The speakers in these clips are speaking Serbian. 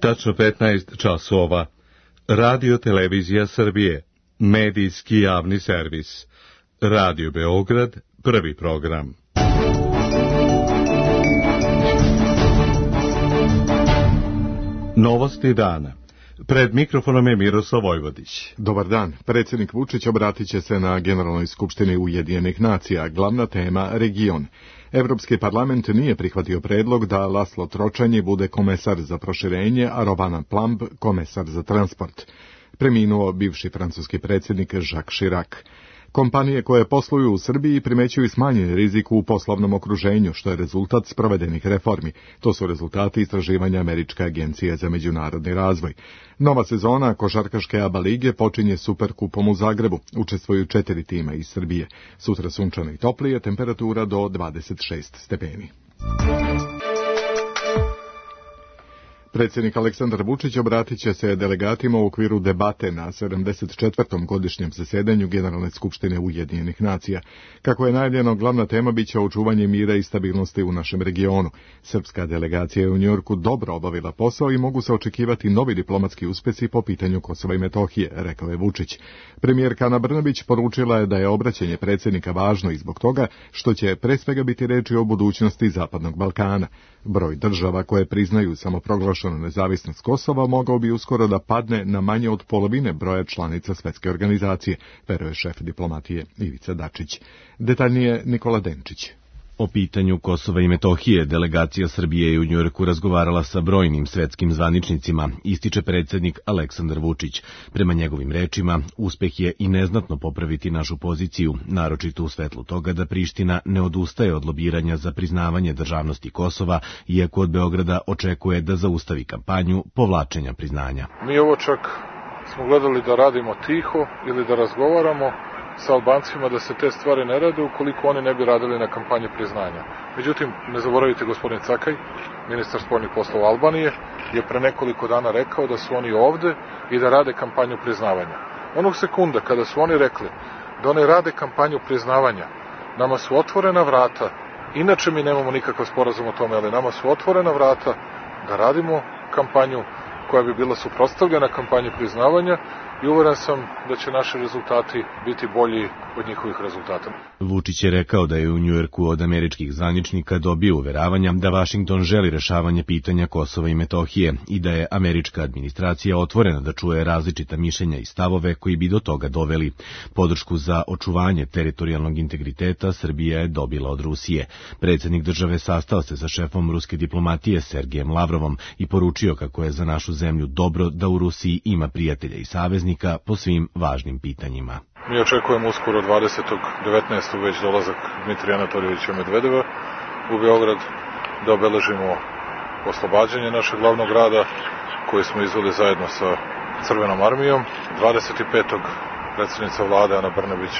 Tačno 15 časova. Radio Televizija Srbije. Medijski javni servis. Radio Beograd, prvi program. Novosti dana. Pred mikrofonom je Miroslav Vojvodić. Dobar dan. Predsjednik Vučić obratit će se na Generalnoj skupštini Ujedinjenih nacija. Glavna tema region. Evropski parlament nije prihvatio predlog da Laslo Tročanji bude komesar za proširenje, a Robana Plamb komesar za transport. Preminuo bivši francuski predsjednik Jacques Chirac. Kompanije koje posluju u Srbiji primećuju smanjen rizik u poslovnom okruženju, što je rezultat sprovedenih reformi. To su rezultati istraživanja Američke agencije za međunarodni razvoj. Nova sezona košarkaške ABA lige počinje Superkupom u Zagrebu. Učestvuju 4 tima iz Srbije. Sutra sunčano i toplije, temperatura do 26 stepeni. Predsjednik Aleksandar Vučić obratit će se delegatima u okviru debate na 74. godišnjem zasedanju Generalne skupštine Ujedinjenih nacija. Kako je najavljeno, glavna tema biće očuvanje mira i stabilnosti u našem regionu. Srpska delegacija je u Njujorku dobro obavila posao i mogu se očekivati novi diplomatski uspjesi po pitanju Kosova i Metohije, rekao je Vučić. Premijerka Ana Brnabić poručila je da je obraćanje predsjednika važno i zbog toga što će pre svega biti reči o budućnosti Zapadnog Balkana. Broj država koje priznaju samoproglašenu nezavisnost Kosova mogao bi uskoro da padne na manje od polovine broja članica Svetske organizacije, veruje šef diplomatije Ivica Dačić. Detaljnije Nikola Denčić. O pitanju Kosova i Metohije delegacija Srbije je u Njujorku razgovarala sa brojnim svetskim zvaničnicima, ističe predsjednik Aleksandar Vučić. Prema njegovim rečima, uspeh je i neznatno popraviti našu poziciju, naročito u svetlu toga da Priština ne odustaje od lobiranja za priznavanje državnosti Kosova, iako od Beograda očekuje da zaustavi kampanju povlačenja priznanja. Mi ovo čak smo gledali da radimo tiho ili da razgovaramo sa Albancima da se te stvari ne rade ukoliko oni ne bi radili na kampanji priznanja. Međutim, ne zaboravite, gospodin Cakaj, ministar spoljnih poslova Albanije, je pre nekoliko dana rekao da su oni ovde i da rade kampanju priznavanja. Onog sekunda kada su oni rekli da oni rade kampanju priznavanja, nama su otvorena vrata, inače mi nemamo nikakav sporazum o tome, ali nama su otvorena vrata da radimo kampanju koja bi bila suprotstavljena kampanji priznavanja i uveren sam da će naši rezultati biti bolji od njihovih rezultata. Vučić je rekao da je u Njujorku od američkih zvaničnika dobio uveravanja da Vašington želi rešavanje pitanja Kosova i Metohije i da je američka administracija otvorena da čuje različita mišljenja i stavove koji bi do toga doveli. Podršku za očuvanje teritorijalnog integriteta Srbija je dobila od Rusije. Predsjednik države sastao se sa šefom ruske diplomatije Sergejem Lavrovom i poručio kako je za našu zemlju dobro da u Rusiji ima prijatelja i saveznika po svim važnim pitanjima. Mi očekujemo uskoro 20.19. već dolazak Dmitrija Anatoljevića Medvedeva u Beograd da obeležimo oslobađanje našeg glavnog grada koji smo izveli zajedno sa Crvenom armijom. 25. predsjednica vlade Ana Brnabić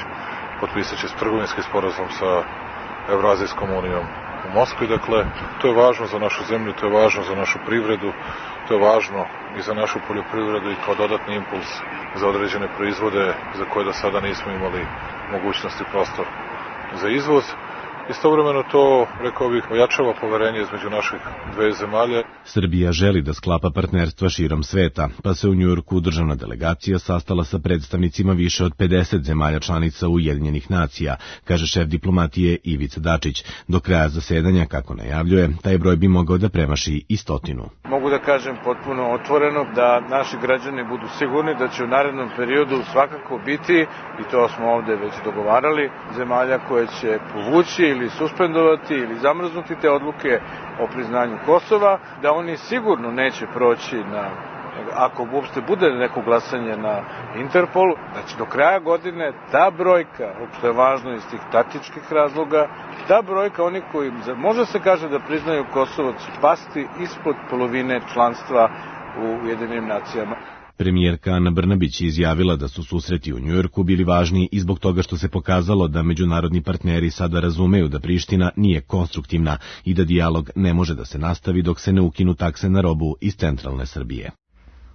potpisat će trgovinski sporazum sa Evrazijskom unijom u Moskvi. Dakle, to je važno za našu zemlju, to je važno za našu privredu, to je važno i za našu poljoprivredu i kao dodatni impuls za određene proizvode za koje do sada nismo imali mogućnosti prostor za izvoz. Istovremeno to, rekao bih, ojačava poverenje između naših dve zemalje. Srbija želi da sklapa partnerstva širom sveta, pa se u Njujorku državna delegacija sastala sa predstavnicima više od 50 zemalja članica Ujedinjenih nacija, kaže šef diplomatije Ivica Dačić. Do kraja zasedanja, kako najavljuje, taj broj bi mogao da premaši i 100. Mogu da kažem potpuno otvoreno da naši građani budu sigurni da će u narednom periodu svakako biti, i to smo ovde već dogovarali, zemalja koje će povući ili suspendovati ili zamrznuti te odluke o priznanju Kosova, da oni sigurno neće proći ako uopšte bude neko glasanje na Interpolu, znači do kraja godine ta brojka, što je važno iz tih taktičkih razloga, ta brojka onih koji može se kaže da priznaju Kosovo će pasti ispod polovine članstva u Ujedinjenim nacijama. Premijerka Ana Brnabić je izjavila da su susreti u Njujorku bili važni i zbog toga što se pokazalo da međunarodni partneri sada razumeju da Priština nije konstruktivna i da dijalog ne može da se nastavi dok se ne ukinu takse na robu iz centralne Srbije.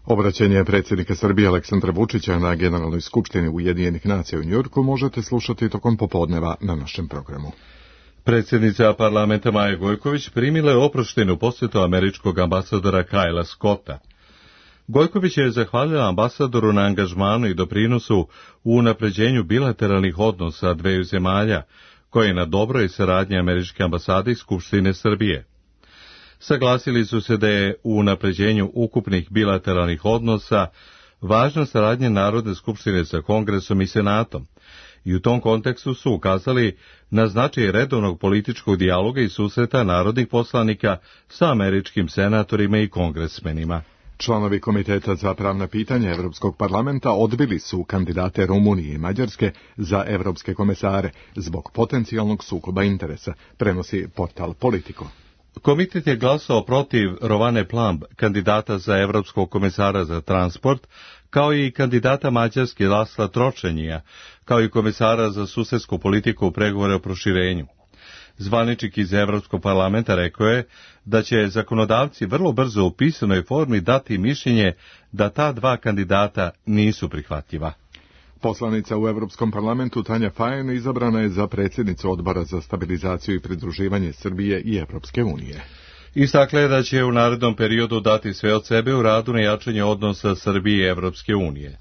Obraćanje predsjednika Srbije Aleksandra Vučića na Generalnoj skupštini Ujedinjenih nacija u Njujorku možete slušati tokom popodneva na našem programu. Predsjednica parlamenta Maja Gojković primila je oproštenu posjetu američkog ambasadora Kylea Scotta. Gojković je zahvalila ambasadoru na angažmanu i doprinosu u unapređenju bilateralnih odnosa dveju zemalja, koje je na dobroj saradnji Američke ambasade i Skupštine Srbije. Saglasili su se da je u unapređenju ukupnih bilateralnih odnosa važna saradnja Narodne skupštine sa Kongresom i Senatom, i u tom kontekstu su ukazali na značaj redovnog političkog dijaloga i susreta narodnih poslanika sa američkim senatorima i kongresmenima. Članovi Komiteta za pravna pitanja Evropskog parlamenta odbili su kandidate Rumunije i Mađarske za evropske komesare zbog potencijalnog sukoba interesa, prenosi portal Politico. Komitet je glasao protiv Rovane Plamb, kandidata za evropskog komesara za transport, kao i kandidata Mađarske Lasla Tročenija, kao i komesara za susedsku politiku u pregovore o proširenju. Zvaničnik iz Evropskog parlamenta rekao je da će zakonodavci vrlo brzo u pisanoj formi dati mišljenje da ta dva kandidata nisu prihvatljiva. Poslanica u Evropskom parlamentu Tanja Fajon izabrana je za predsjednicu Odbora za stabilizaciju i pridruživanje Srbije i Evropske unije. Istakla je da će u narednom periodu dati sve od sebe u radu na jačanju odnosa Srbije i Evropske unije.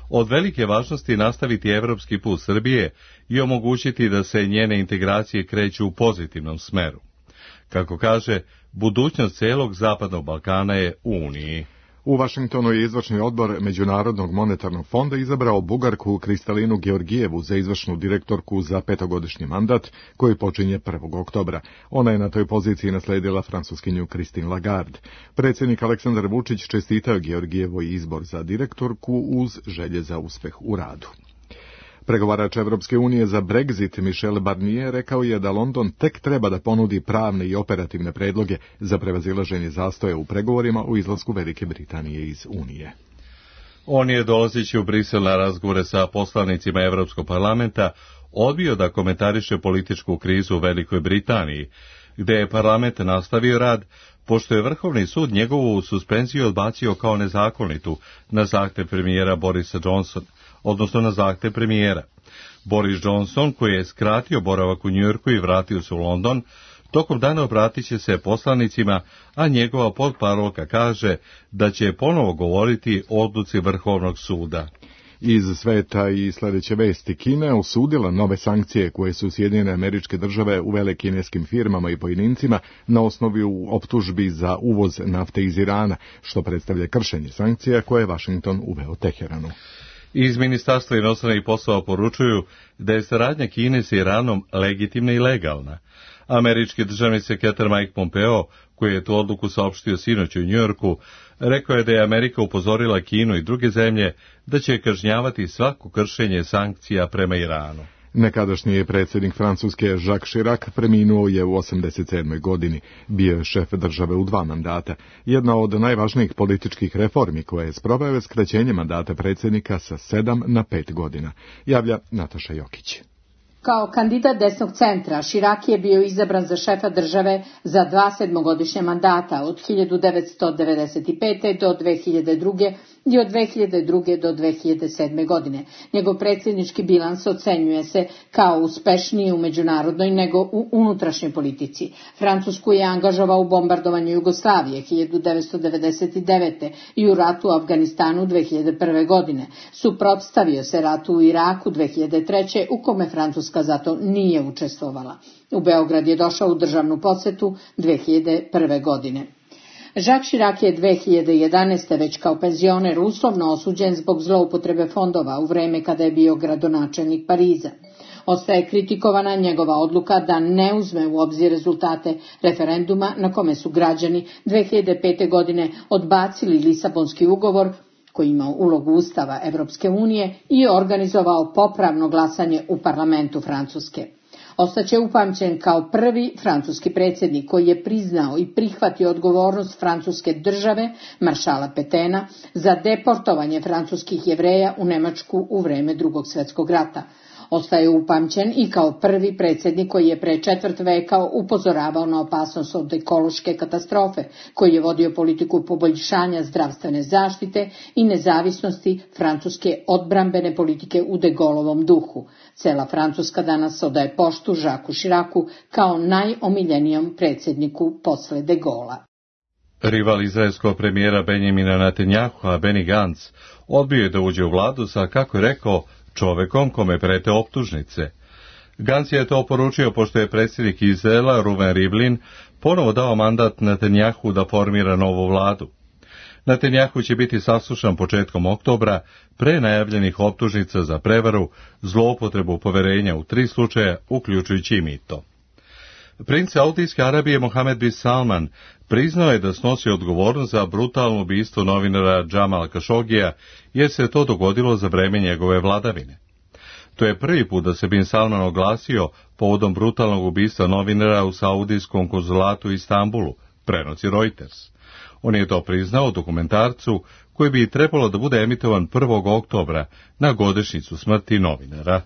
Od velike važnosti nastaviti evropski put Srbije i omogućiti da se njene integracije kreću u pozitivnom smeru. Kako kaže, budućnost celog Zapadnog Balkana je u Uniji. U Vašingtonu je izvršni odbor Međunarodnog monetarnog fonda izabrao Bugarku Kristalinu Georgijevu za izvršnu direktorku za 5-godišnji mandat koji počinje 1. oktobra. Ona je na toj poziciji nasledila francuskinju Christine Lagarde. Predsjednik Aleksandar Vučić čestitao Georgijevoj izbor za direktorku uz želje za uspeh u radu. Pregovarač Evropske unije za Brexit Michel Barnier rekao je da London tek treba da ponudi pravne i operativne predloge za prevazilaženje zastoja u pregovorima o izlasku Velike Britanije iz Unije. On je, dolazeći u Brisel na razgovore sa poslanicima Evropskog parlamenta, odbio da komentariše političku krizu u Velikoj Britaniji, gde je parlament nastavio rad, pošto je Vrhovni sud njegovu suspenziju odbacio kao nezakonitu na zahtev premijera Borisa Johnsona, odnosno na zahtev premijera. Boris Johnson, koji je skratio boravak u Njujorku i vratio se u London, tokom dana obratit će se poslanicima, a njegova potparolka kaže da će ponovo govoriti o odluci Vrhovnog suda. Iz sveta i sljedeće vesti. Kina je osudila nove sankcije koje su Sjedinjene Američke Države uvele kineskim firmama i pojedincima na osnovu optužbi za uvoz nafte iz Irana, što predstavlja kršenje sankcija koje je Washington uveo Teheranu. Iz Ministarstva inostranih poslova poručuju da je saradnja Kine sa Iranom legitimna i legalna. Američki državni sekretar Mike Pompeo, koji je tu odluku saopštio sinoć u Njujorku, rekao je da je Amerika upozorila Kinu i druge zemlje da će kažnjavati svako kršenje sankcija prema Iranu. Nekadašnji predsjednik Francuske Jacques Chirac preminuo je u 87. godini. Bio je šef države u 2 mandata. Jedna od najvažnijih političkih reformi koje je sproveo je skraćenje mandata predsjednika sa 7 na 5 godina. Javlja Nataša Jokić. Kao kandidat desnog centra, Chirac je bio izabran za šefa države za 2 7-godišnja mandata od 1995. do 2002. i od 2002. do 2007. godine. Njegov predsjednički bilans ocenjuje se kao uspešniji u međunarodnoj nego u unutrašnjoj politici. Francusku je angažovao u bombardovanju Jugoslavije 1999. i u ratu u Afganistanu 2001. godine. Suprotstavio se ratu u Iraku 2003. u kome Francuska zato nije učestvovala. U Beograd je došao u državnu posetu 2001. godine. Jacques Chirac je 2011. već kao penzioner uslovno osuđen zbog zloupotrebe fondova u vreme kada je bio gradonačelnik Pariza. Ostaje kritikovana njegova odluka da ne uzme u obzir rezultate referenduma na kome su građani 2005. godine odbacili Lisabonski ugovor koji ima ulogu Ustava Evropske unije i organizovao popravno glasanje u parlamentu Francuske. Ostaće upamćen kao prvi francuski predsjednik koji je priznao i prihvatio odgovornost francuske države, maršala Petena, za deportovanje francuskih Jevreja u Nemačku u vreme Drugog svjetskog rata. Ostaje upamćen i kao prvi predsjednik koji je pre 4 veka upozoravao na opasnost od ekološke katastrofe, koji je vodio politiku poboljšanja zdravstvene zaštite i nezavisnosti francuske odbrambene politike u de Gaulleovom duhu. Cela Francuska danas odaje poštu Jacquesu Chiracu kao najomiljenijom predsjedniku posle de Gaullea. Rival izraelskog premijera Benjamina Netanjahua, Benny Gantz, odbio je da uđe u vladu sa, kako je rekao, čovekom kome prete optužnice. Gantz je to poručio pošto je predsjednik Izraela, Ruven Rivlin, ponovo dao mandat Netanjahu da formira novu vladu. Netanjahu će biti saslušan početkom oktobra pre najavljenih optužnica za prevaru, zloupotrebu poverenja u 3 slučaja, uključujući i mito. Princ Saudijske Arabije Mohamed bin Salman priznao je da snosi odgovornost za brutalno ubistvo novinara Džamala Kašogija, jer se to dogodilo za vreme njegove vladavine. To je prvi put da se bin Salman oglasio povodom brutalnog ubistva novinara u saudijskom konzulatu u Istanbulu, prenosi Reuters. On je to priznao u dokumentarcu koji bi trebalo da bude emitovan 1. oktobra na godišnjicu smrti novinara.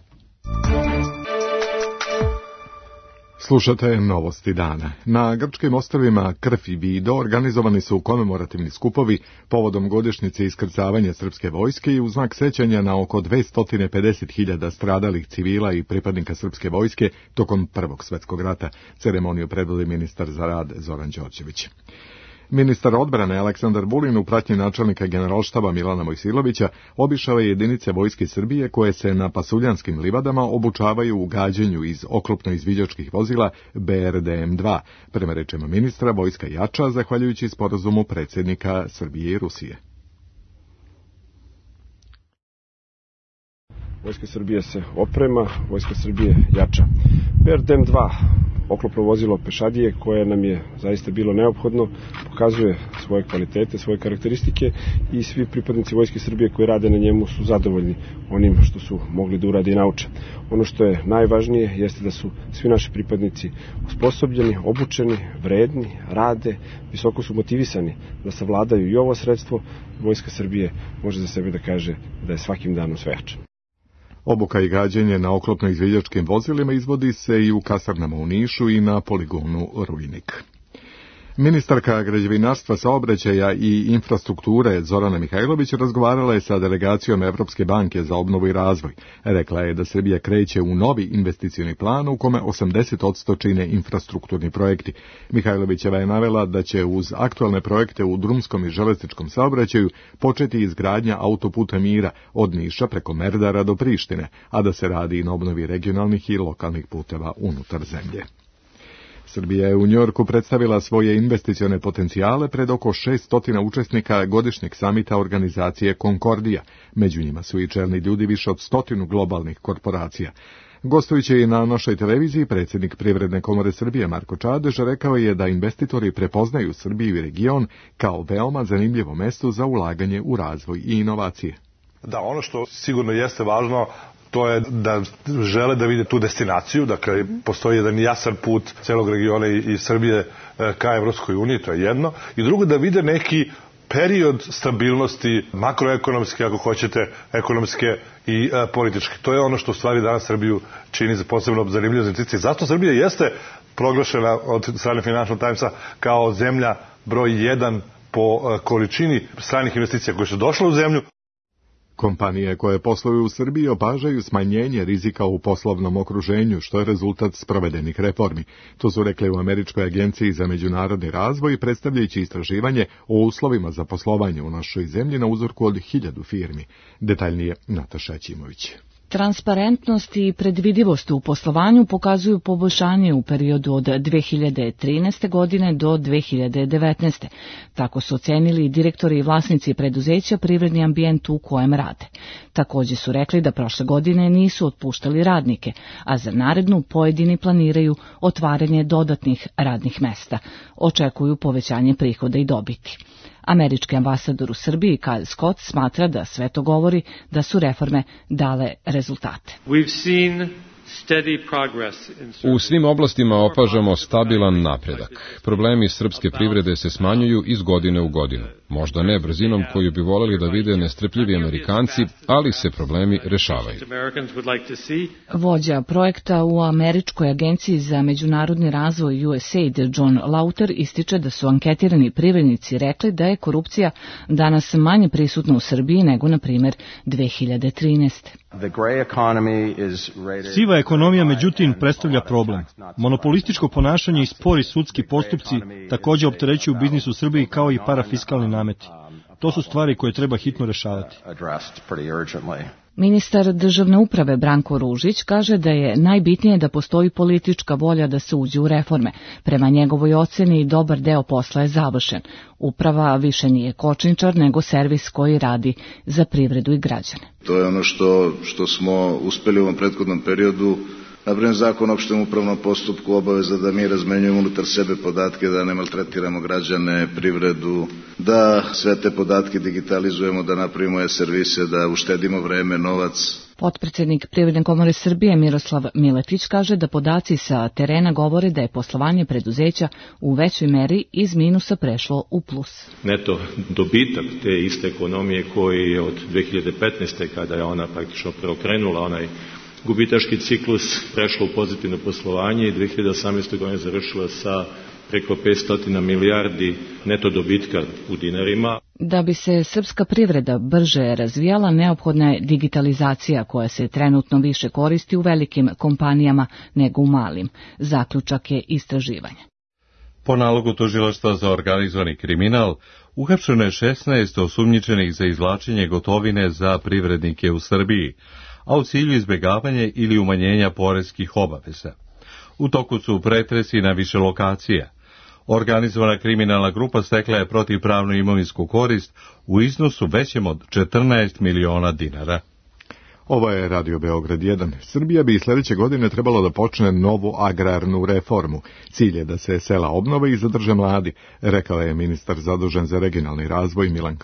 Slušate novosti dana. Na grčkim ostrvima Krf i Vido organizovani su komemorativni skupovi povodom godišnjice iskrcavanja srpske vojske i u znak sećanja na oko 250.000 stradalih civila i pripadnika srpske vojske tokom Prvog svjetskog rata. Ceremoniju predvodi ministar za rad Zoran Đorđević. Ministar odbrane Aleksandar Vulin u pratnji načelnika generalštaba Milana Mojsilovića obišao je jedinice Vojske Srbije koje se na pasuljanskim livadama obučavaju u gađanju iz oklopno-izviđačkih vozila BRDM-2. Prema rečima ministra, vojska jača zahvaljujući sporazumu predsjednika Srbije i Rusije. Vojska Srbije se oprema, Vojska Srbije jača. BRDM-2, oklopno vozilo pešadije koje nam je zaista bilo neophodno, pokazuje svoje kvalitete, svoje karakteristike i svi pripadnici Vojske Srbije koji rade na njemu su zadovoljni onim što su mogli da urade i nauče. Ono što je najvažnije jeste da su svi naši pripadnici osposobljeni, obučeni, vredni, rade, visoko su motivisani da savladaju i ovo sredstvo. Vojska Srbije može za sebe da kaže da je svakim danom sve jača. Obuka i gađenje na oklopno-izviđačkim vozilima izvodi se i u kasarnama u Nišu i na poligonu Rujnik. Ministarka građevinarstva, saobraćaja i infrastrukture Zorana Mihajlović razgovarala je sa delegacijom Evropske banke za obnovu i razvoj. Rekla je da Srbija kreće u novi investicioni plan u kome 80% čine infrastrukturni projekti. Mihajlovićeva je navela da će uz aktualne projekte u drumskom i železničkom saobraćaju početi izgradnja autoputa Mira od Niša preko Merdara do Prištine, a da se radi i na obnovi regionalnih i lokalnih puteva unutar zemlje. Srbija je u Njujorku predstavila svoje investicione potencijale pred oko 600 učesnika godišnjeg samita organizacije Konkordija. Među njima su i čelni ljudi više od 100 globalnih korporacija. Gostujući i na našoj televiziji, predsjednik Privredne komore Srbije Marko Čadež rekao je da investitori prepoznaju Srbiju i region kao veoma zanimljivo mesto za ulaganje u razvoj i inovacije. Da, ono što sigurno jeste važno, to je da žele da vide tu destinaciju, dakle postoji jedan jasan put celog regiona i Srbije ka Evropskoj uniji, to je jedno. I drugo, da vide neki period stabilnosti, makroekonomske, ako hoćete, ekonomske i političke. To je ono što u stvari danas Srbiju čini za posebno zanimljive investicije. Zato Srbija jeste proglašena od strane Financial Timesa kao zemlja broj 1 po količini stranih investicija koje su došle u zemlju. Kompanije koje posluju u Srbiji opažaju smanjenje rizika u poslovnom okruženju, što je rezultat sprovedenih reformi. To su rekli u Američkoj agenciji za međunarodni razvoj, predstavljajući istraživanje o uslovima za poslovanje u našoj zemlji na uzorku od 1000 firmi. Detaljnije Nataša Ćimović. Transparentnost i predvidivost u poslovanju pokazuju poboljšanje u periodu od 2013. godine do 2019. Tako su ocenili direktori i vlasnici preduzeća privredni ambijent u kojem rade. Također su rekli da prošle godine nisu otpuštali radnike, a za narednu pojedini planiraju otvaranje dodatnih radnih mesta. Očekuju povećanje prihoda i dobiti. Američki ambasador u Srbiji Kyle Scott smatra da sve to govori da su reforme dale rezultate. U svim oblastima opažamo stabilan napredak. Problemi srpske privrede se smanjuju iz godine u godinu. Možda ne brzinom koju bi voljeli da vide nestrpljivi Amerikanci, ali se problemi rešavaju. Vođa projekta u Američkoj agenciji za međunarodni razvoj USAID John Lauter ističe da su anketirani privrednici rekli da je korupcija danas manje prisutna u Srbiji nego, na primjer, 2013. Siva Siva ekonomija, međutim, predstavlja problem. Monopolističko ponašanje i spori sudski postupci također opterećuju biznis u Srbiji kao i parafiskalni nameti. To su stvari koje treba hitno rešavati. Ministar državne uprave Branko Ružić kaže da je najbitnije da postoji politička volja da se uđe u reforme. Prema njegovoj oceni dobar deo posla je završen. Uprava više nije kočničar nego servis koji radi za privredu i građane. To je ono što smo uspeli u ovom prethodnom periodu. Naprimjer, zakon o opštem upravnom postupku obaveza da mi razmenjujemo unutar sebe podatke, da ne maltretiramo građane, privredu, da sve te podatke digitalizujemo, da napravimo e-servise, da uštedimo vreme, novac. Potpredsednik Privredne komore Srbije Miroslav Miletić kaže da podaci sa terena govore da je poslovanje preduzeća u većoj meri iz minusa prešlo u plus. Neto dobitak te iste ekonomije koji je od 2015. kada je ona praktično preokrenula onaj gubitaški ciklus, prešlo u pozitivno poslovanje i 2018. godine završila sa preko 500 milijardi neto dobitka u dinarima. Da bi se srpska privreda brže razvijala, neophodna je digitalizacija koja se trenutno više koristi u velikim kompanijama nego u malim. Zaključak je istraživanje. Po nalogu Tužilaštva za organizovani kriminal, uhapšeno je 16 osumnjičenih za izvlačenje gotovine za privrednike u Srbiji, a u cilju izbjegavanja ili umanjenja poreskih obaveza. U toku su pretresi na više lokacija. Organizovana kriminalna grupa stekla je protivpravnu imovinsku korist u iznosu većem od 14 miliona dinara. Ovo je Radio Beograd 1. Srbija bi sljedeće godine trebalo da počne novu agrarnu reformu. Cilj je da se sela obnove i zadrže mladi, rekao je ministar zadužen za regionalni razvoj Milan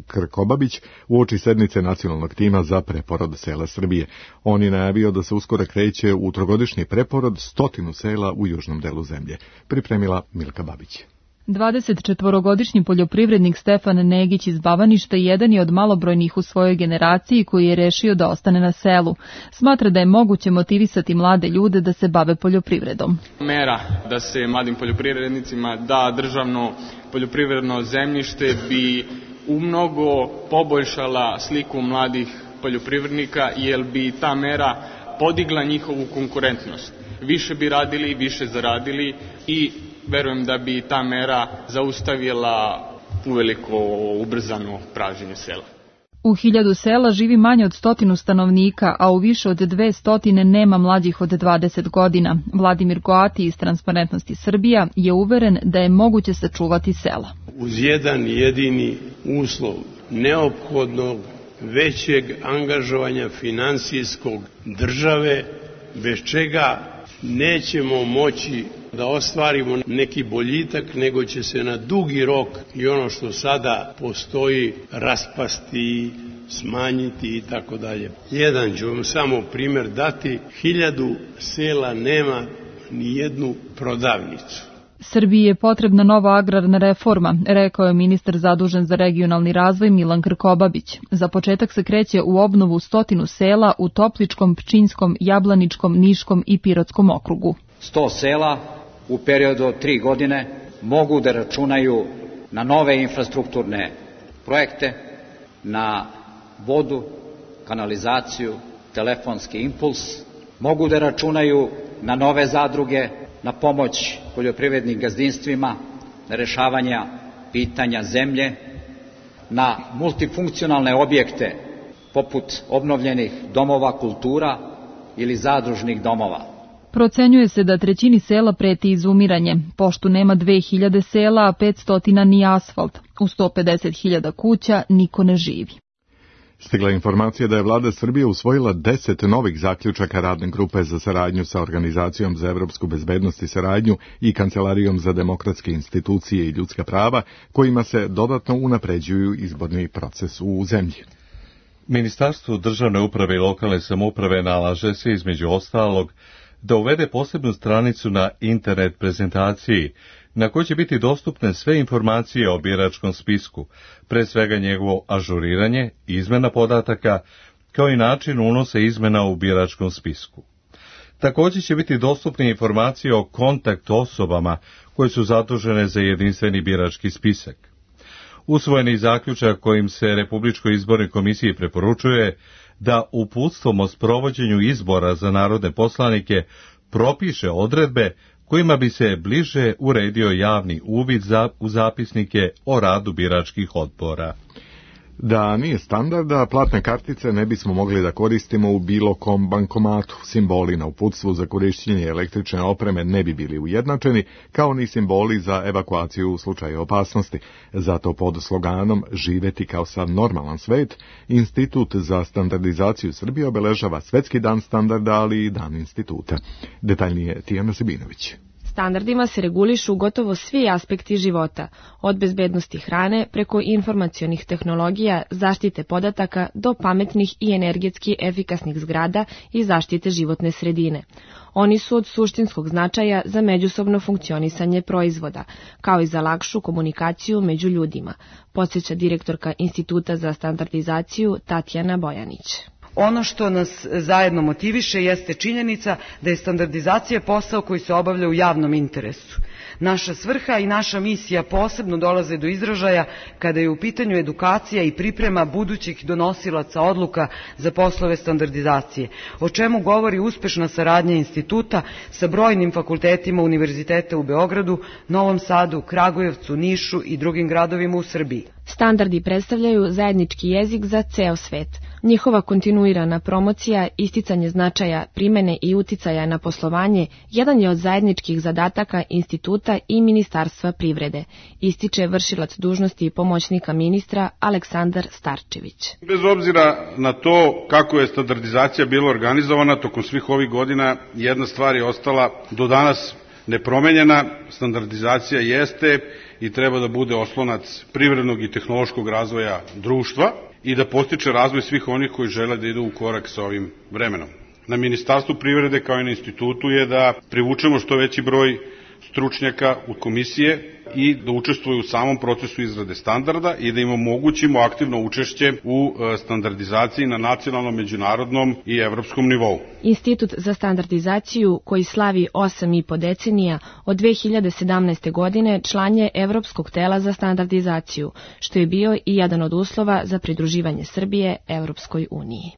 Krkobabić uoči sednice nacionalnog tima za preporod sela Srbije. On je najavio da se uskoro kreće u trogodišnji preporod 100 sela u južnom delu zemlje. Pripremila Milka Babić. 24-godišnji poljoprivrednik Stefan Negić iz Bavaništa jedan je od malobrojnih u svojoj generaciji koji je rešio da ostane na selu. Smatra da je moguće motivisati mlade ljude da se bave poljoprivredom. Mera da se mladim poljoprivrednicima da državno poljoprivredno zemljište bi umnogo poboljšala sliku mladih poljoprivrednika, jer bi ta mera podigla njihovu konkurentnost. Više bi radili, više zaradili i verujem da bi ta mera zaustavila uveliko ubrzano pražnjenje sela. U 1000 sela živi manje od 100 stanovnika, a u više od 200 nema mlađih od 20 godina. Vladimir Goati iz Transparentnosti Srbija je uveren da je moguće sačuvati sela. Uz jedan jedini uslov neophodnog većeg angažovanja finansijskog države, bez čega nećemo moći da ostvarimo neki boljitak, nego će se na dugi rok i ono što sada postoji raspasti, smanjiti i tako dalje. Jedan ću vam samo primjer dati, 1000 sela nema ni jednu prodavnicu. Srbiji je potrebna nova agrarna reforma, rekao je ministar zadužen za regionalni razvoj Milan Krkobabić. Za početak se kreće u obnovu 100 sela u Topličkom, Pčinjskom, Jablaničkom, Niškom i Pirotskom okrugu. 100 sela u periodu od 3 godine mogu da računaju na nove infrastrukturne projekte, na vodu, kanalizaciju, telefonski impuls, mogu da računaju na nove zadruge, na pomoć poljoprivrednim gazdinstvima, na rešavanja pitanja zemlje, na multifunkcionalne objekte poput obnovljenih domova kultura ili zadružnih domova. Procenjuje se da 1/3 sela preti izumiranje, pošto nema 2000 sela, a 500 ni asfalt. U 150.000 kuća niko ne živi. Stigla informacija da je vlada Srbije usvojila 10 novih zaključaka radne grupe za saradnju sa Organizacijom za evropsku bezbednost i saradnju i Kancelarijom za demokratske institucije i ljudska prava, kojima se dodatno unapređuju izborni proces u zemlji. Ministarstvo državne uprave i lokalne samouprave nalaže se, između ostalog, da uvede posebnu stranicu na internet prezentaciji, na kojoj će biti dostupne sve informacije o biračkom spisku, pre svega njegovo ažuriranje, izmena podataka, kao i način unosa izmena u biračkom spisku. Također će biti dostupne informacije o kontakt osobama koje su zadužene za jedinstveni birački spisak. Usvojeni zaključak kojim se Republičkoj izbornoj komisiji preporučuje da uputstvom o sprovođenju izbora za narodne poslanike propiše odredbe kojima bi se bliže uredio javni uvid u zapisnike o radu biračkih odbora. Da nije standarda, platne kartice ne bismo mogli da koristimo u bilo kom bankomatu. Simboli na uputstvu za korišćenje električne opreme ne bi bili ujednačeni, kao ni simboli za evakuaciju u slučaju opasnosti. Zato pod sloganom "Živeti kao sav normalan svet", Institut za standardizaciju Srbije obeležava Svetski dan standarda, ali i Dan instituta. Detaljnije Tijana Sibinović. Standardima se regulišu gotovo svi aspekti života, od bezbednosti hrane preko informacionih tehnologija, zaštite podataka do pametnih i energetski efikasnih zgrada i zaštite životne sredine. Oni su od suštinskog značaja za međusobno funkcionisanje proizvoda, kao i za lakšu komunikaciju među ljudima, podsjeća direktorka Instituta za standardizaciju Tatjana Bojanić. Ono što nas zajedno motiviše jeste činjenica da je standardizacija posao koji se obavlja u javnom interesu. Naša svrha i naša misija posebno dolaze do izražaja kada je u pitanju edukacija i priprema budućih donosilaca odluka za poslove standardizacije, o čemu govori uspešna saradnja instituta sa brojnim fakultetima univerziteta u Beogradu, Novom Sadu, Kragujevcu, Nišu i drugim gradovima u Srbiji. Standardi predstavljaju zajednički jezik za ceo svet. Njihova kontinuirana promocija, isticanje značaja, primene i uticaja na poslovanje jedan je od zajedničkih zadataka instituta i Ministarstva privrede, ističe vršilac dužnosti pomoćnika ministra Aleksandar Starčević. Bez obzira na to kako je standardizacija bila organizovana tokom svih ovih godina, jedna stvar je ostala do danas nepromenjena. Standardizacija jeste i treba da bude oslonac privrednog i tehnološkog razvoja društva i da postiče razvoj svih onih koji žele da idu u korak sa ovim vremenom. Na Ministarstvu privrede kao i na institutu je da privučemo što veći broj stručnjaka u komisije i da učestvuju u samom procesu izrade standarda i da im omogućimo aktivno učešće u standardizaciji na nacionalnom, međunarodnom i evropskom nivou. Institut za standardizaciju, koji slavi 8,5 decenija, od 2017. godine član je Evropskog tela za standardizaciju, što je bio i jedan od uslova za pridruživanje Srbije Evropskoj uniji.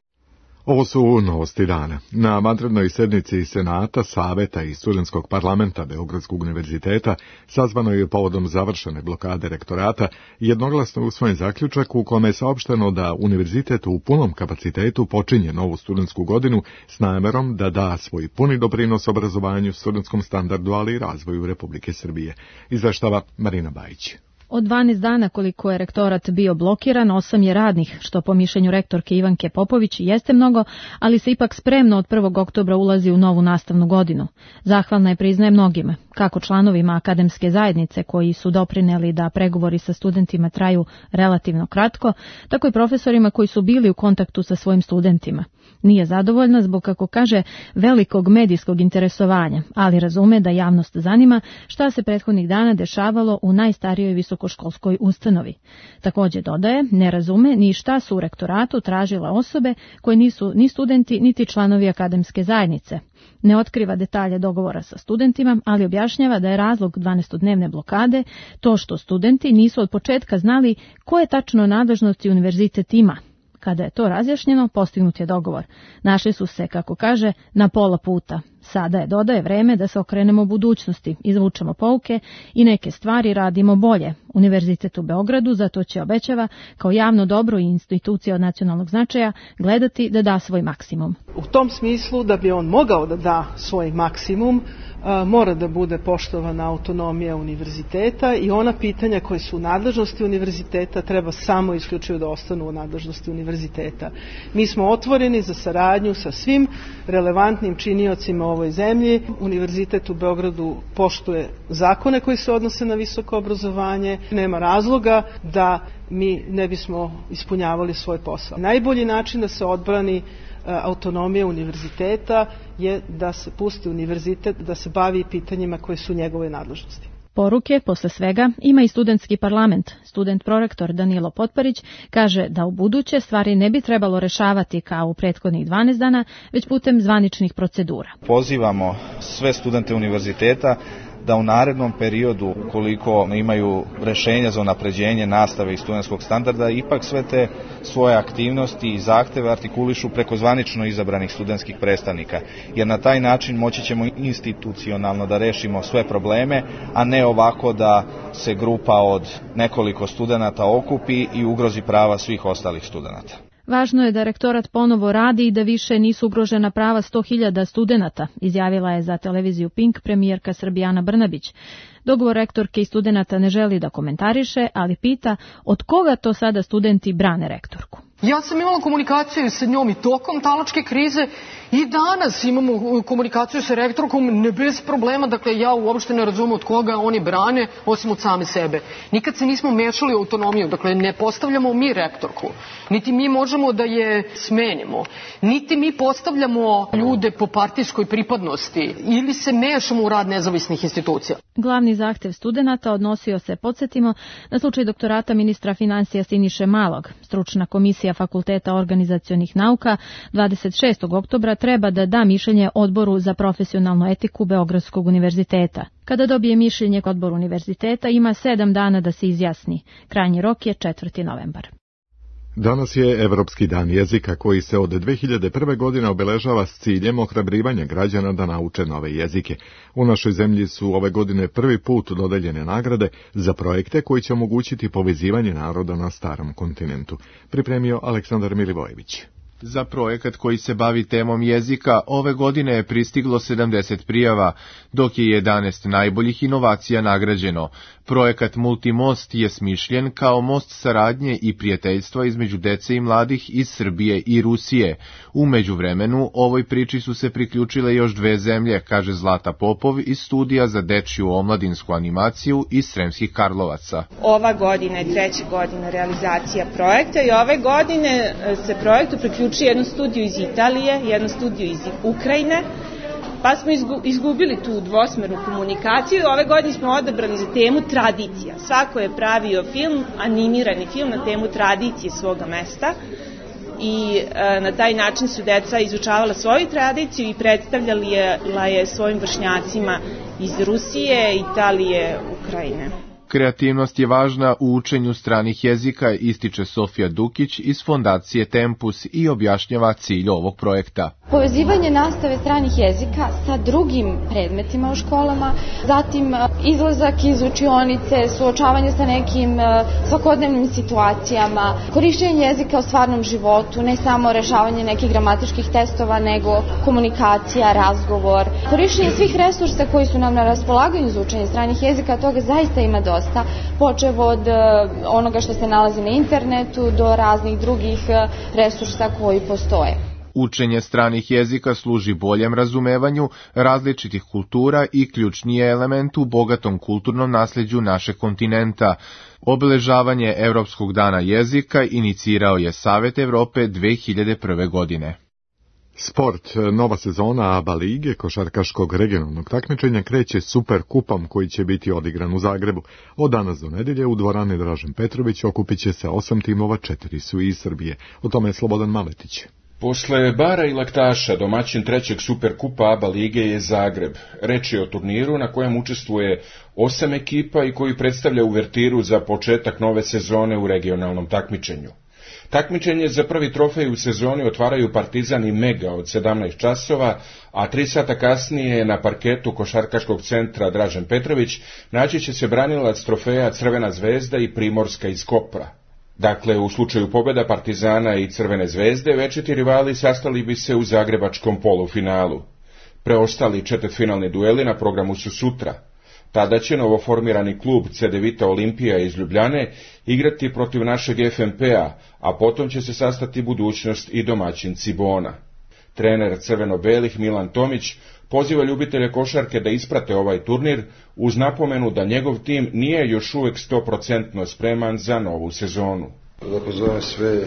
Ovo su novosti dana. Na vanrednoj sednici Senata, Saveta i Studentskog parlamenta Beogradskog univerziteta sazvanoj je povodom završene blokade rektorata jednoglasno usvojen zaključak u kome je saopšteno da univerzitet u punom kapacitetu počinje novu studentsku godinu s namerom da da svoj puni doprinos obrazovanju, studentskom standardu, ali i razvoju Republike Srbije. Izveštava Marina Bajić. Od 12 dana koliko je rektorat bio blokiran, 8 je radnih, što po mišljenju rektorke Ivanke Popović jeste mnogo, ali se ipak spremno od 1. oktobra ulazi u novu nastavnu godinu. Zahvalna je, priznaje, mnogima, kako članovima akademske zajednice koji su doprineli da pregovori sa studentima traju relativno kratko, tako i profesorima koji su bili u kontaktu sa svojim studentima. Nije zadovoljna zbog, kako kaže, velikog medijskog interesovanja, ali razume da javnost zanima šta se prethodnih dana dešavalo u najstarijoj visokoškolskoj ustanovi. Također dodaje, ne razume ni šta su u rektoratu tražile osobe koje nisu ni studenti niti članovi akademske zajednice. Ne otkriva detalje dogovora sa studentima, ali objašnjava da je razlog 12-dnevne blokade to što studenti nisu od početka znali koje tačno nadležnosti univerzitet ima. Kada je to razjašnjeno, postignut je dogovor. Našli su se, kako kaže, na pola puta. Sada je, dodaje, vreme da se okrenemo budućnosti, izvučemo pouke i neke stvari radimo bolje. Univerzitet u Beogradu zato će, obećava, kao javno dobro i institucija od nacionalnog značaja gledati da da svoj maksimum. U tom smislu, da bi on mogao da da svoj maksimum, mora da bude poštovana autonomija univerziteta i ona pitanja koje su u nadležnosti univerziteta treba samo isključivo da ostanu u nadležnosti univerziteta. Mi smo otvoreni za saradnju sa svim relevantnim činiocima u ovoj zemlji. Univerzitet u Beogradu poštuje zakone koji se odnose na visoko obrazovanje. Nema razloga da mi ne bismo ispunjavali svoj posao. Najbolji način da se odbrani autonomija univerziteta je da se pusti univerzitet da se bavi pitanjima koje su njegove nadležnosti. Poruke posle svega ima i studentski parlament. Student prorektor Danilo Potparić kaže da u buduće stvari ne bi trebalo rešavati kao u prethodnih 12 dana, već putem zvaničnih procedura. Pozivamo sve studente univerziteta da u narednom periodu, ukoliko imaju rešenja za unapređenje nastave i studentskog standarda, ipak sve te svoje aktivnosti i zahteve artikulišu preko zvanično izabranih studentskih predstavnika, jer na taj način moći ćemo institucionalno da rešimo sve probleme, a ne ovako da se grupa od nekoliko studenata okupi i ugrozi prava svih ostalih studenata. Važno je da rektorat ponovo radi i da više nisu ugrožena prava 100.000 studenata, izjavila je za televiziju Pink premijerka Srbije Ana Brnabić. Dogovor rektorke i studenata ne želi da komentariše, ali pita od koga to sada studenti brane rektorku. Ja sam imala komunikaciju sa njom i tokom talačke krize i danas imamo komunikaciju sa rektorkom ne bez problema, dakle ja uopšte ne razumem od koga oni brane osim od same sebe. Nikad se nismo mešali u autonomiju, dakle ne postavljamo mi rektorku, niti mi možemo da je smenimo, niti mi postavljamo ljude po partijskoj pripadnosti ili se mešamo u rad nezavisnih institucija. Glavni zahtev studenata odnosio se, podsjetimo, na slučaj doktorata ministra finansija Siniše Malog. Stručna komisija Fakulteta organizacionih nauka 26. oktobra treba da da mišljenje Odboru za profesionalnu etiku Beogradskog univerziteta. Kada dobije mišljenje Odbor univerziteta, ima 7 dana da se izjasni. Krajnji rok je 4. novembar. Danas je Evropski dan jezika koji se od 2001. godine obeležava s ciljem ohrabrivanja građana da nauče nove jezike. U našoj zemlji su ove godine prvi put dodeljene nagrade za projekte koji će omogućiti povezivanje naroda na starom kontinentu. Pripremio Aleksandar Milivojević. Za projekat koji se bavi temom jezika, ove godine je pristiglo 70 prijava, dok je 11 najboljih inovacija nagrađeno. Projekat Multimost je smišljen kao most saradnje i prijateljstva između dece i mladih iz Srbije i Rusije. U međuvremenu, ovoj priči su se priključile još 2 zemlje, kaže Zlata Popov iz studija za dečju omladinsku animaciju iz Sremskih Karlovaca. Ova godina je 3. godina realizacija projekta i ove godine se projektu priključuje jednu studiju iz Italije, jednu studiju iz Ukrajine, pa smo izgubili tu dvosmernu komunikaciju i ove godine smo odabrali za temu tradicija. Svako je pravio film, animirani film na temu tradicije svoga mesta i na taj način su deca izučavala svoju tradiciju i predstavljala je svojim vršnjacima iz Rusije, Italije, Ukrajine. Kreativnost je važna u učenju stranih jezika, ističe Sofija Dukić iz fondacije Tempus i objašnjava cilj ovog projekta. Povezivanje nastave stranih jezika sa drugim predmetima u školama, zatim izlazak iz učionice, suočavanje sa nekim svakodnevnim situacijama, korišćenje jezika u stvarnom životu, ne samo rešavanje nekih gramatičkih testova, nego komunikacija, razgovor, korišćenje svih resursa koji su nam na raspolaganju za učenje stranih jezika, toga zaista ima dosta. Počev od onoga što se nalazi na internetu do raznih drugih resursa koji postoje. Učenje stranih jezika služi boljem razumevanju različitih kultura i ključni je element u bogatom kulturnom nasleđu našeg kontinenta. Obeležavanje Evropskog dana jezika inicirao je Savet Evrope 2001. godine. Sport, nova sezona ABA lige košarkaškog regionalnog takmičenja kreće Super kupom koji će biti odigran u Zagrebu. Od danas do nedelje u dvorani Dražen Petrović okupit će se 8 timova, 4 su iz Srbije. O tome je Slobodan Maletić. Posle Bara i Laktaša, domaćin 3. Superkupa ABA lige je Zagreb. Reč je o turniru na kojem učestvuje 8 ekipa i koji predstavlja uvertiru za početak nove sezone u regionalnom takmičenju. Takmičenje za prvi trofej u sezoni otvaraju Partizan i Mega od 17 časova, a 3 sata kasnije na parketu košarkaškog centra Dražen Petrović naći će se branilac trofeja Crvena zvezda i Primorska iz Kopra. Dakle, u slučaju pobjeda Partizana i Crvene zvezde, večiti rivali sastali bi se u zagrebačkom polufinalu. Preostali četvrtfinalni dueli na programu su sutra. Tada će novoformirani klub Cedevita Olimpija iz Ljubljane igrati protiv našeg FNP-a, a potom će se sastati budućnost i domaćin Cibona. Trener crveno-belih Milan Tomić poziva ljubitelje košarke da isprate ovaj turnir uz napomenu da njegov tim nije još uvek 100% spreman za novu sezonu. Da pozovem sve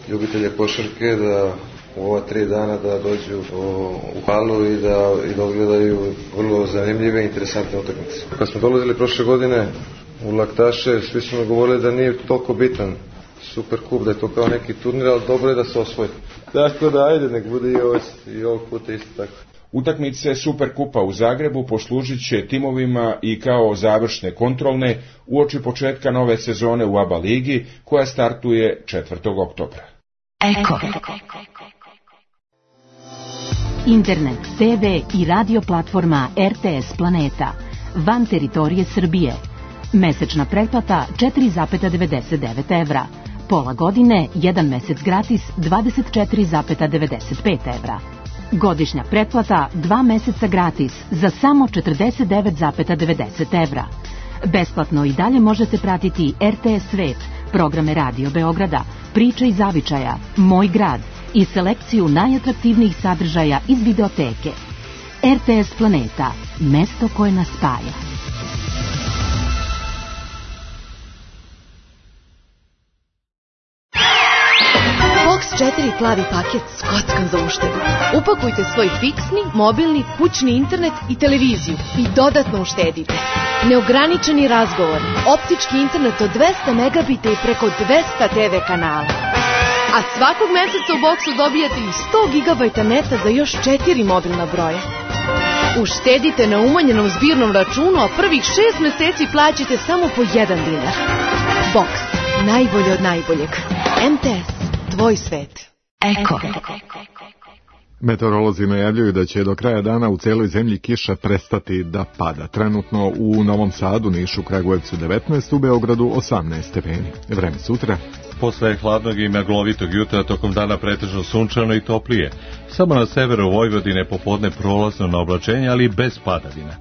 ljubitelje košarke da u ova 3 dana da dođu u halu i da odgledaju vrlo zanimljive i interesantne utakmice. Kad smo dolazili prošle godine u Laktaše, svi su mi govorili da nije toliko bitan Superkup, da je to kao neki turnir, ali dobro je da se osvoji. Tako da, ajde, nek bude i ovog puta isto tako. Utakmice Superkupa u Zagrebu poslužit će timovima i kao završne kontrolne uoči početka nove sezone u ABA ligi koja startuje 4. oktobra. Eko. Internet, TV i radio platforma RTS Planeta. Van teritorije Srbije. Mesečna pretplata 4,99 evra. Pola godine, 1 mesec gratis 24,95 evra. Godišnja pretplata 2 meseca gratis za samo 49,90 evra. Besplatno i dalje možete pratiti RTS Svet, programe Radio Beograda, Priče i zavičaja, Moj grad i selekciju najatraktivnijih sadržaja iz videoteke. RTS Planeta, mesto koje nas spaja. Box 4 plavi paket s kockom za uštedu. Upakujte svoj fiksni, mobilni, kućni internet i televiziju i dodatno uštedite. Neograničeni razgovor, optički internet od 200 megabita i preko 200 TV kanala. A svakog meseca u Boxu dobijate i 100 gigabajta neta za još 4 mobilna broja. Uštedite na umanjenom zbirnom računu, a prvih 6 meseci plaćate samo po 1 dinar. Box, najbolje od najboljeg. MTS, tvoj svet. Eko. Meteorolozi najavljuju da će do kraja dana u celoj zemlji kiša prestati da pada. Trenutno u Novom Sadu, Nišu, Kragujevcu 19, u Beogradu 18 stepeni. Vreme sutra. Posle hladnog i maglovitog jutra tokom dana pretežno sunčano i toplije. Samo na severu Vojvodine popodne prolazno na oblačenje, ali bez padavina.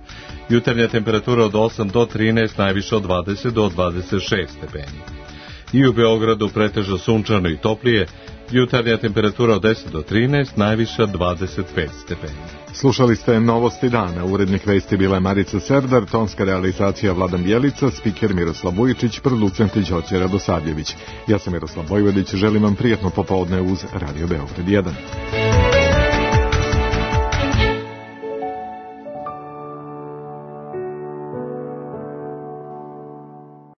Jutarnja temperatura od 8 do 13, najviše od 20 do 26 stepeni. I u Beogradu pretežno sunčano i toplije, jutarnja temperatura od 10 do 13, najviša 25 stepeni. Slušali ste Novosti dana, urednik vesti bila je Marica Serdar, tonska realizacija Vladan Bjelica, spiker Miroslav Vujičić, producent Đorđe Radosavljević. Ja sam Miroslav Vojvodić, želim vam prijatno popodne uz Radio Beograd 1.